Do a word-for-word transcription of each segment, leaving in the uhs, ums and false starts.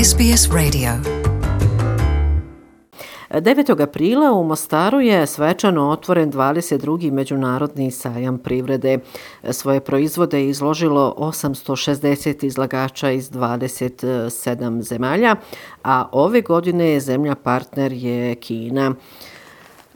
S B S Radio. devetog aprila u Mostaru je svečano otvoren dvadeset drugi Međunarodni sajam privrede. Svoje proizvode je izložilo osamsto šezdeset izlagača iz dvadeset sedam zemalja, a ove godine je zemlja partner je Kina.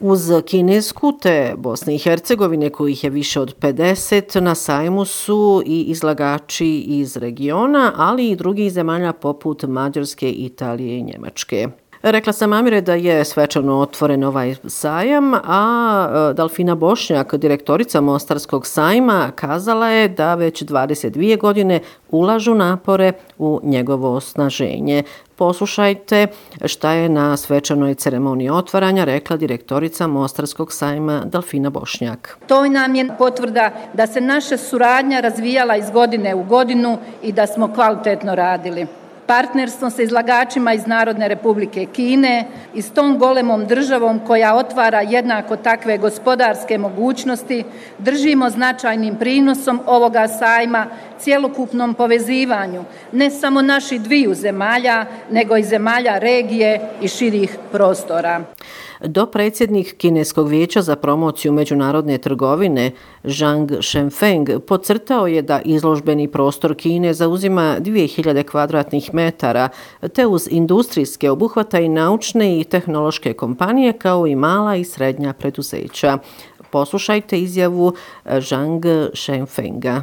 Uz Kinesku te Bosne i Hercegovine, kojih je više od pedeset, na sajmu su i izlagači iz regiona, ali i drugih zemalja poput Mađarske, Italije i Njemačke. Rekla sam Amire da je svečano otvoren ovaj sajam, a Dalfina Bošnjak, direktorica Mostarskog sajma, kazala je da već dvadeset dvije godine ulažu napore u njegovo osnaženje. Poslušajte šta je na svečanoj ceremoniji otvaranja rekla direktorica Mostarskog sajma Dalfina Bošnjak. To nam je potvrda da se naša suradnja razvijala iz godine u godinu i da smo kvalitetno radili. Partnerstvo sa izlagačima iz Narodne Republike Kine i s tom golemom državom koja otvara jednako takve gospodarske mogućnosti držimo značajnim prinosom ovoga sajma cjelokupnom povezivanju ne samo naših dviju zemalja, nego i zemalja regije i širih prostora. Dopredsjednik Kineskog vijeća za promociju međunarodne trgovine Zhang Shenfeng podcrtao je da izložbeni prostor Kine zauzima dvije hiljade kvadratnih metara, te uz industrijske obuhvata i naučne i tehnološke kompanije kao i mala i srednja preduzeća. Poslušajte izjavu Zhang Shenfenga.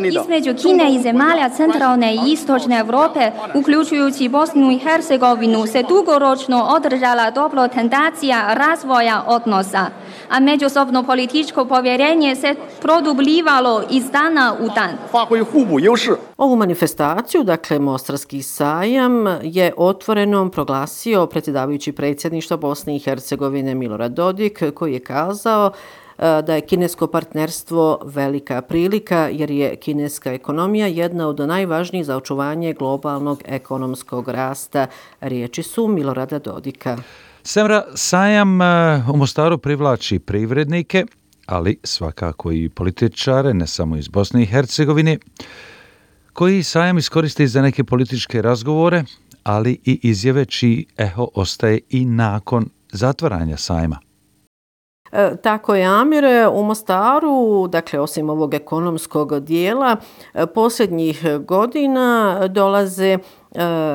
Između Kine i zemalja centralne i istočne Europe, uključujući Bosnu i Hercegovinu, se dugoročno održala dobro tendencija razvoja odnosa, a međusobno političko povjerenje se produbljivalo iz dana u dan. Ovu manifestaciju, dakle Mostarski sajam, je otvorenom proglasio predsjedavajući predsjedništva Bosne i Hercegovine Milorad Dodik, koji je kazao da je kinesko partnerstvo velika prilika jer je kineska ekonomija jedna od najvažnijih za očuvanje globalnog ekonomskog rasta. Riječi su Milorada Dodika. Semra, sajam u Mostaru privlači privrednike, ali svakako i političare, ne samo iz Bosne i Hercegovine, koji sajam iskoriste za neke političke razgovore, ali i izjave čiji eho ostaje i nakon zatvaranja sajma. E, tako je, Amire. U Mostaru, dakle osim ovog ekonomskog dijela, posljednjih godina dolaze e,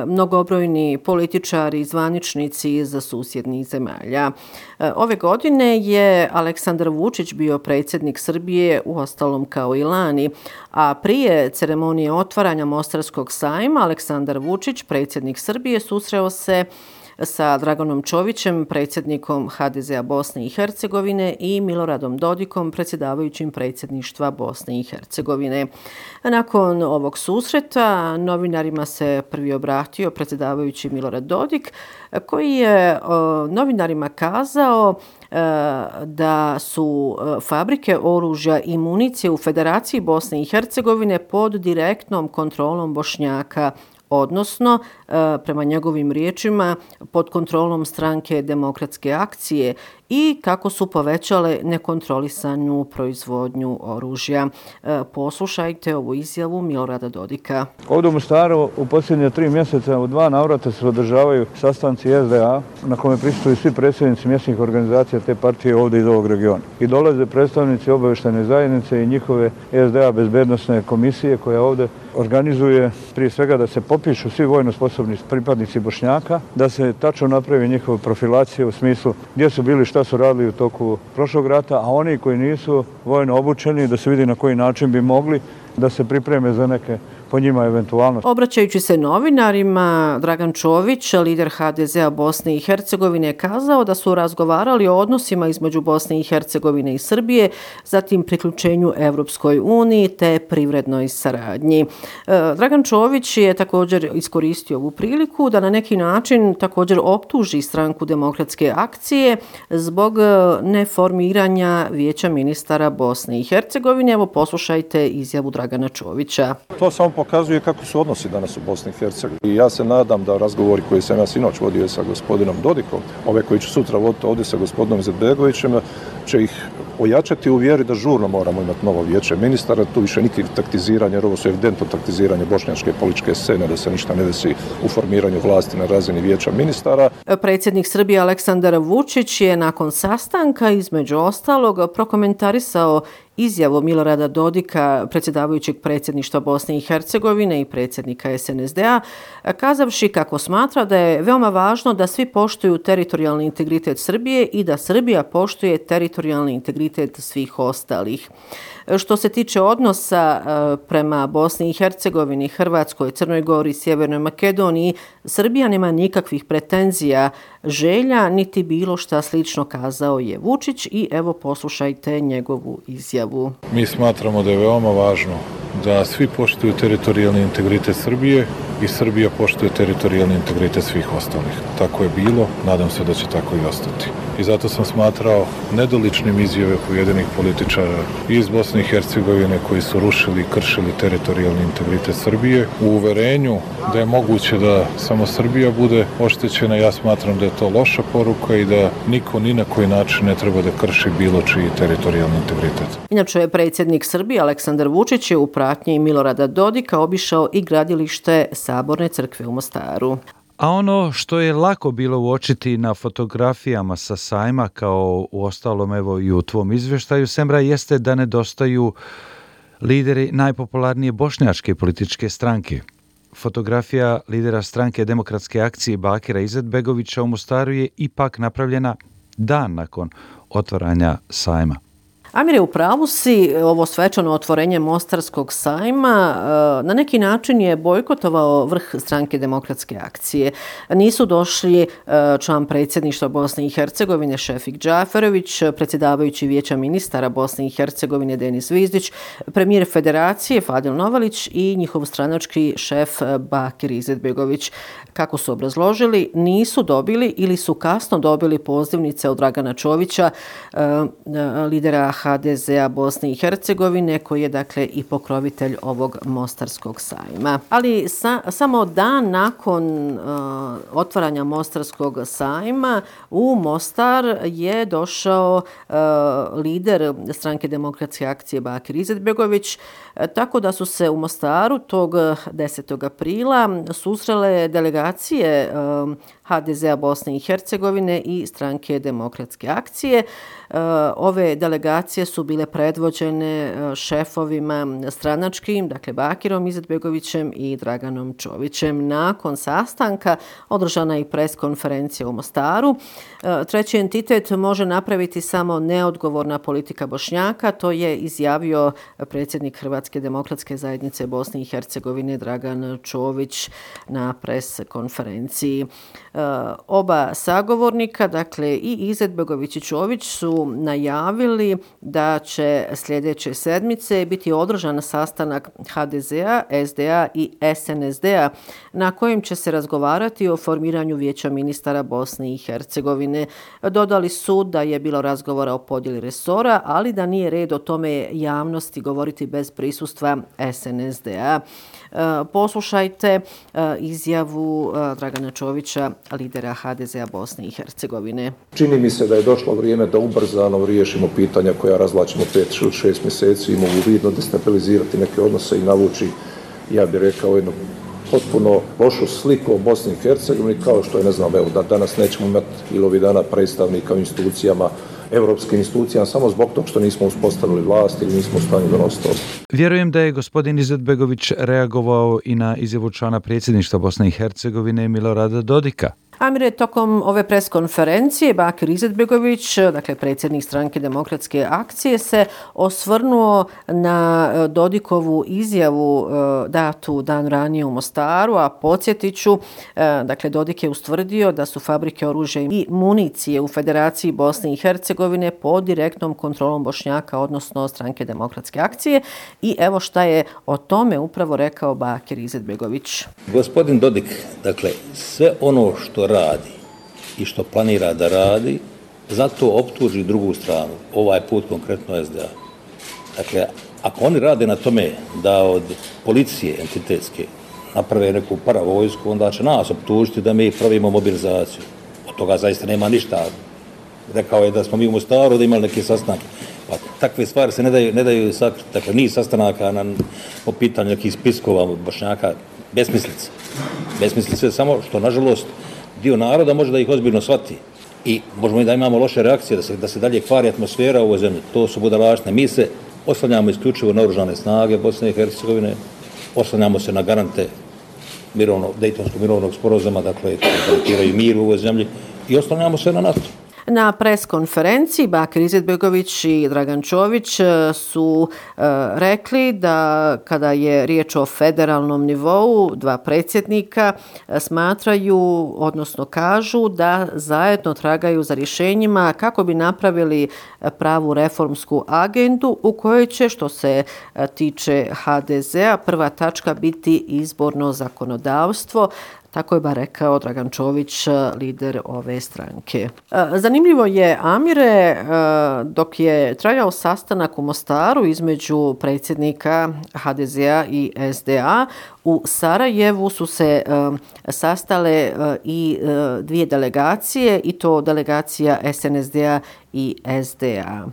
mnogobrojni političari i zvaničnici iz susjednih zemalja. E, ove godine je Aleksandar Vučić bio predsjednik Srbije, uostalom kao i lani, a prije ceremonije otvaranja Mostarskog sajma Aleksandar Vučić, predsjednik Srbije, susreo se sa Draganom Čovićem, predsjednikom H D Z-a Bosne i Hercegovine i Miloradom Dodikom, predsjedavajućim predsjedništva Bosne i Hercegovine. Nakon ovog susreta novinarima se prvi obratio predsjedavajući Milorad Dodik, koji je o, novinarima kazao e, da su fabrike oružja i municije u Federaciji Bosne i Hercegovine pod direktnom kontrolom Bošnjaka, odnosno, prema njegovim riječima, pod kontrolom stranke Demokratske akcije i kako su povećale nekontrolisanu proizvodnju oružja. Poslušajte ovu izjavu Milorada Dodika. Ovdje u Mostaru u posljednje tri mjeseca u dva navrata se održavaju sastanci S D A na kome prisustvuju svi predsjednici mjesnih organizacija te partije ovdje iz ovog regiona. I dolaze predstavnici obavještajne zajednice i njihove S D A bezbednosne komisije koja ovdje organizuje prije svega da se popišu svi vojno sposobni pripadnici Bošnjaka, da se tačno napravi njihova profilacija u smislu gdje su bili, šta su radili u toku prošlog rata, a oni koji nisu vojno obučeni da se vidi na koji način bi mogli da se pripreme za neke po njima eventualno. Obraćajući se novinarima, Dragan Čović, lider H D Z-a Bosne i Hercegovine, je kazao da su razgovarali o odnosima između Bosne i Hercegovine i Srbije, zatim priključenju Evropskoj uniji te privrednoj saradnji. Dragan Čović je također iskoristio ovu priliku da na neki način također optuži stranku Demokratske akcije zbog neformiranja Vijeća ministara Bosne i Hercegovine. Evo poslušajte izjavu Dragana Čovića. To samo pokazuje kako su odnosi danas u Bosni i Hercegovini. I ja se nadam da razgovori koji sam ja sinoć vodio sa gospodinom Dodikom, ove koji ću sutra voditi ovdje sa gospodinom Izetbegovićem, će ih ojačati u vjeri da žurno moramo imati novo vijeće ministara, tu više niti taktiziranje, jer ovo su evidentno taktiziranje bošnjačke političke scene, da se ništa ne desi u formiranju vlasti na razini vijeća ministara. Predsjednik Srbije Aleksandar Vučić je nakon sastanka između ostalog prokomentarisao izjavu Milorada Dodika, predsjedavajućeg predsjedništva Bosne i Hercegovine i predsjednika es en es de a, kazavši kako smatra da je veoma važno da svi poštuju teritorijalni integritet Srbije i da Srbija poštuje teritorijalni integritet svih ostalih. Što se tiče odnosa prema Bosni i Hercegovini, Hrvatskoj, Crnoj Gori, Sjevernoj Makedoniji, Srbija nema nikakvih pretenzija, želja, niti bilo šta slično, kazao je Vučić i evo poslušajte njegovu izjavu. Mi smatramo da je veoma važno da svi poštuju teritorijalni integritet Srbije i Srbija poštuje teritorijalni integritet svih ostalih. Tako je bilo, nadam se da će tako i ostati. I zato sam smatrao nedoličnim izjave pojedinih političara iz Bosne i Hercegovine koji su rušili i kršili teritorijalni integritet Srbije u uverenju da je moguće da samo Srbija bude oštećena. Ja smatram da je to loša poruka i da niko ni na koji način ne treba da krši bilo čiji teritorijalni integritet. Inače je predsjednik Srbije Aleksandar Vučić je u pratnji Milorada Dodika obišao i gradilište Saborne crkve u Mostaru. A ono što je lako bilo uočiti na fotografijama sa sajma, kao u ostalom evo i u tvom izvještaju, Semra, jeste da nedostaju lideri najpopularnije bošnjačke političke stranke. Fotografija lidera stranke Demokratske akcije Bakira Izetbegovića u Mostaru je ipak napravljena dan nakon otvaranja sajma. Amire, u pravu si, ovo svečano otvorenje Mostarskog sajma na neki način je bojkotovao vrh stranke Demokratske akcije. Nisu došli član predsjedništva Bosne i Hercegovine Šefik Džaferović, predsjedavajući vijeća ministara Bosne i Hercegovine Denis Zvizdić, premijer federacije Fadil Novalić i njihov stranački šef Bakir Izetbegović. Kako su obrazložili, nisu dobili ili su kasno dobili pozivnice od Dragana Čovića, lidera ha de ze a Bosne i Hercegovine, koji je dakle i pokrovitelj ovog Mostarskog sajma. Ali sa, samo dan nakon uh, otvaranja Mostarskog sajma u Mostar je došao uh, lider stranke Demokratske akcije Bakir Izetbegović, uh, tako da su se u Mostaru tog desetog aprila susrele delegacije uh, ha de ze a Bosne i Hercegovine i stranke Demokratske akcije. Ove delegacije su bile predvođene šefovima stranačkim, dakle Bakirom Izetbegovićem i Draganom Čovićem. Nakon sastanka održana je i pres konferencija u Mostaru. Treći entitet može napraviti samo neodgovorna politika Bošnjaka, to je izjavio predsjednik Hrvatske demokratske zajednice Bosne i Hercegovine Dragan Čović na pres konferenciji. Oba sagovornika, dakle i Izetbegović i Čović, su najavili da će sljedeće sedmice biti održan sastanak ha de ze a, es de a i es en es de a na kojem će se razgovarati o formiranju vijeća ministara Bosne i Hercegovine. Dodali su da je bilo razgovora o podjeli resora, ali da nije red o tome javnosti govoriti bez prisustva es en es de a. Poslušajte izjavu Dragana Čovića, lidera ha de ze a Bosne i Hercegovine. Čini mi se da je došlo vrijeme da ubrzano riješimo pitanja koja razvlačimo pet ili šest mjeseci i mogu vidno destabilizirati neke odnose i navući, ja bih rekao, jednu potpuno lošu sliku o Bosni i Hercegovini, kao što je, ne znam, evo, da danas nećemo imati ili ovih dana predstavnika u institucijama, evropskim institucijama, samo zbog toga što nismo uspostavili vlast ili nismo u stanju donositi odluke. Vjerujem da je gospodin Izetbegović reagovao i na izjavu člana predsjedništva Bosne i Hercegovine Milorada Dodika. Amire, tokom ove preskonferencije Bakir Izetbegović, dakle predsjednik stranke Demokratske akcije, se osvrnuo na Dodikovu izjavu datu dan ranije u Mostaru, a podsjetit ću, dakle Dodik je ustvrdio da su fabrike oružja i municije u Federaciji Bosne i Hercegovine pod direktnom kontrolom Bošnjaka, odnosno stranke Demokratske akcije, i evo šta je o tome upravo rekao Bakir Izetbegović. Gospodin Dodik, dakle, sve ono što radi i što planira da radi, zato optuži drugu stranu, ovaj put konkretno es de a. Dakle, ako oni rade na tome da od policije entitetske naprave neku paravojsku, onda će nas optužiti da mi pravimo mobilizaciju. Od toga zaista nema ništa. Rekao je da smo mi u Mostaru da imali neke sastanke. Pa takve stvari se ne daju, ne daju sakriti. Dakle, niz sastanaka na, po pitanju nekih spiskova Bošnjaka, besmislice. Besmislice samo što, nažalost, dio naroda može da ih ozbiljno shvati. I možemo i da imamo loše reakcije, da se, da se dalje kvari atmosfera u ovoj zemlji. To su budalaštine. Mi se oslanjamo isključivo na oružane snage Bosne i Hercegovine, oslanjamo se na garante mirovno, Dejtonskog mirovnog sporazuma, dakle, koji garantiraju mir u ovoj zemlji, i oslanjamo se na NATO. Na pres konferenciji Bakir Izetbegović i Dragan Čović su e, rekli da kada je riječ o federalnom nivou, dva predsjednika smatraju, odnosno kažu da zajedno tragaju za rješenjima kako bi napravili pravu reformsku agendu u kojoj će, što se tiče ha de zea, prva tačka biti izborno zakonodavstvo. Tako je bar rekao Dragan Čović, lider ove stranke. Zanimljivo je, Amire, dok je trajao sastanak u Mostaru između predsjednika ha de zea i es de a, u Sarajevu su se sastale i dvije delegacije, i to delegacija es en es de a i es de a.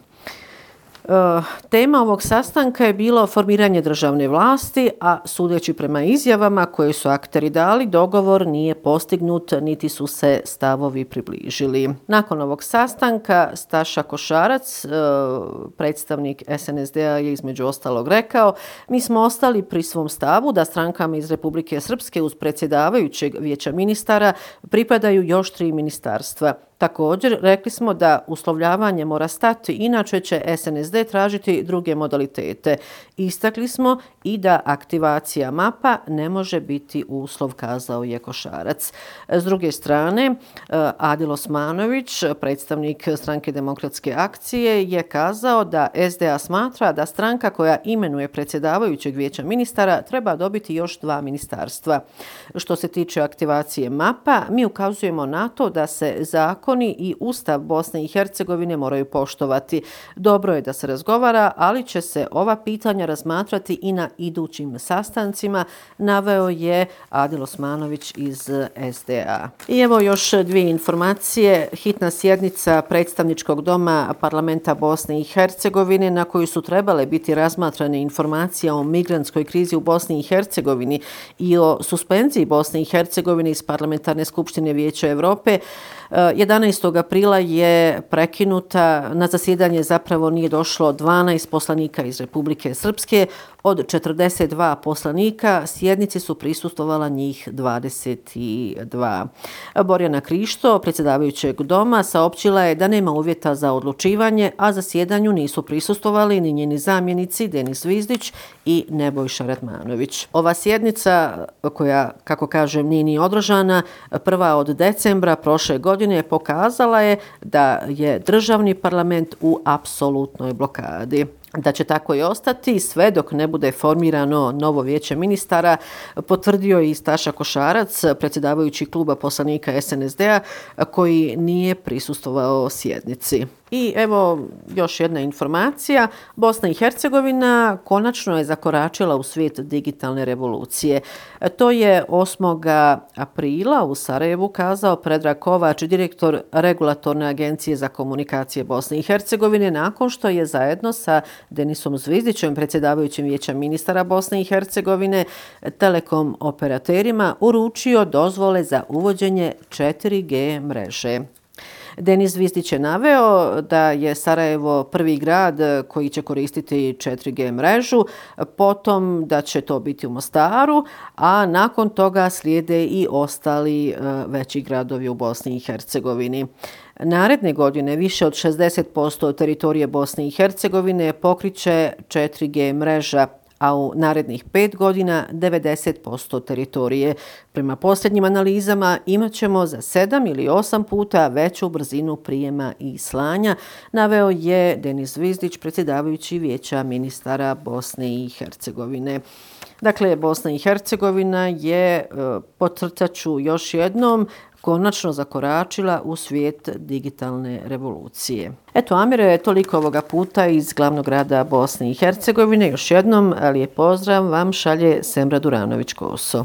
Tema ovog sastanka je bilo formiranje državne vlasti, a sudeći prema izjavama koje su akteri dali, dogovor nije postignut, niti su se stavovi približili. Nakon ovog sastanka Staša Košarac, predstavnik es en es de a, je između ostalog rekao: mi smo ostali pri svom stavu da strankama iz Republike Srpske uz predsjedavajućeg vijeća ministara pripadaju još tri ministarstva. Također, rekli smo da uslovljavanje mora stati, inače će es en es de tražiti druge modalitete. Istakli smo i da aktivacija mapa ne može biti uslov, kazao je Košarac. S druge strane, Adil Osmanović, predstavnik Stranke demokratske akcije, je kazao da es de a smatra da stranka koja imenuje predsjedavajućeg vijeća ministara treba dobiti još dva ministarstva. Što se tiče aktivacije mapa, mi ukazujemo na to da se zakon i Ustav Bosne i Hercegovine moraju poštovati. Dobro je da se razgovara, ali će se ova pitanja razmatrati i na idućim sastancima, naveo je Adil Osmanović iz es de a. I evo još dvije informacije. Hitna sjednica predstavničkog doma parlamenta Bosne i Hercegovine, na koju su trebale biti razmatrane informacije o migrantskoj krizi u Bosni i Hercegovini i o suspenziji Bosne i Hercegovine iz Parlamentarne skupštine Vijeća Europe, jedanaestog aprila je prekinuta. Na zasjedanje zapravo nije došlo dvanaest poslanika iz Republike Srpske. Od četrdeset dva poslanika sjednici su prisustvovala njih dvadeset dva. Borjana Krišto, predsjedavajućeg doma, saopćila je da nema uvjeta za odlučivanje, a zasjedanju nisu prisustvovali ni njeni zamjenici Denis Zvizdić i Nebojša Radmanović. Ova sjednica, koja, kako kažem, nije ni održana, prva od decembra prošle godine, pokazala je da je državni parlament u apsolutnoj blokadi. Da će tako i ostati sve dok ne bude formirano novo vijeće ministara, potvrdio je i Staša Košarac, predsjedavajući kluba poslanika es en es de a, koji nije prisustvovao sjednici. I evo još jedna informacija. Bosna i Hercegovina konačno je zakoračila u svijet digitalne revolucije. To je osmog aprila u Sarajevu kazao Predrag Kovač, direktor Regulatorne agencije za komunikacije Bosne i Hercegovine, nakon što je zajedno sa Denisom Zvizdićem, predsjedavajućim vijeća ministara Bosne i Hercegovine, telekom operaterima uručio dozvole za uvođenje četiri G mreže. Denis Zvizdić je naveo da je Sarajevo prvi grad koji će koristiti četiri G mrežu, potom da će to biti u Mostaru, a nakon toga slijede i ostali veći gradovi u Bosni i Hercegovini. Naredne godine više od šezdeset posto teritorije Bosne i Hercegovine pokriće četiri G mreža, a u narednih pet godina devedeset posto teritorije. Prema posljednjim analizama imat ćemo za sedam ili osam puta veću brzinu prijema i slanja, naveo je Denis Zvizdić, predsjedavajući vijeća ministara Bosne i Hercegovine. Dakle, Bosna i Hercegovina je, podcrtat ću još jednom, konačno zakoračila u svijet digitalne revolucije. Eto, Amire, toliko ovoga puta iz glavnog grada Bosne i Hercegovine. Još jednom lijep pozdrav vam šalje Semra Duranović-Koso.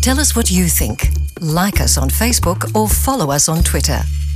Tell us what you think. Like us on Facebook or follow us on Twitter.